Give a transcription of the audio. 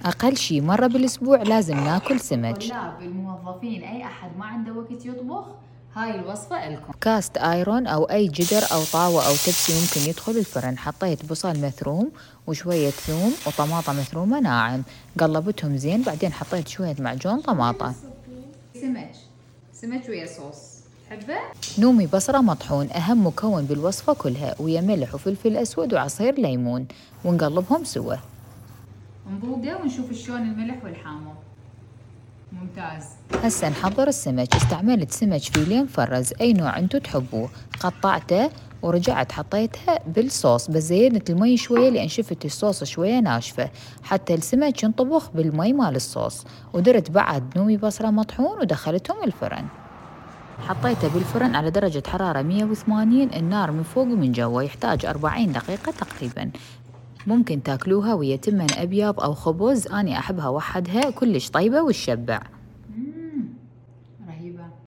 أقل شي مرة بالأسبوع لازم ناكل سمك. طلاب الموظفين أي أحد ما عنده وقت يطبخ، هاي الوصفة لكم. كاست آيرون أو أي جدر أو طاوة أو تبسي ممكن يدخل الفرن. حطيت بصل مثروم وشوية ثوم وطماطة مثرومة ناعم، قلبتهم زين، بعدين حطيت شوية معجون طماطة. سمك ويا صوص تحبه؟ نومي بصرة مطحون أهم مكون بالوصفة كلها، ويا ملح وفلفل أسود وعصير ليمون، ونقلبهم سوا. نذوقه ونشوف شلون الملح والحامض. ممتاز. هسه نحضر السمك. استعملت سمك فيليه مفرز أي نوع انتو تحبوه، قطعته ورجعت حطيتها بالصوص، بس زيدت المي شوية لأن شفت الصوص شوية ناشفة حتى السمك ينطبخ بالمي مال الصوص. ودرت بعد نومي بصرة مطحون ودخلتهم الفرن. حطيته بالفرن على درجة حرارة 180، النار من فوق ومن جوا، يحتاج 40 دقيقة تقريبا. ممكن تاكلوها ويا تمن أبيض أو خبز، أني أحبها وحدها كلش طيبة وتشبع.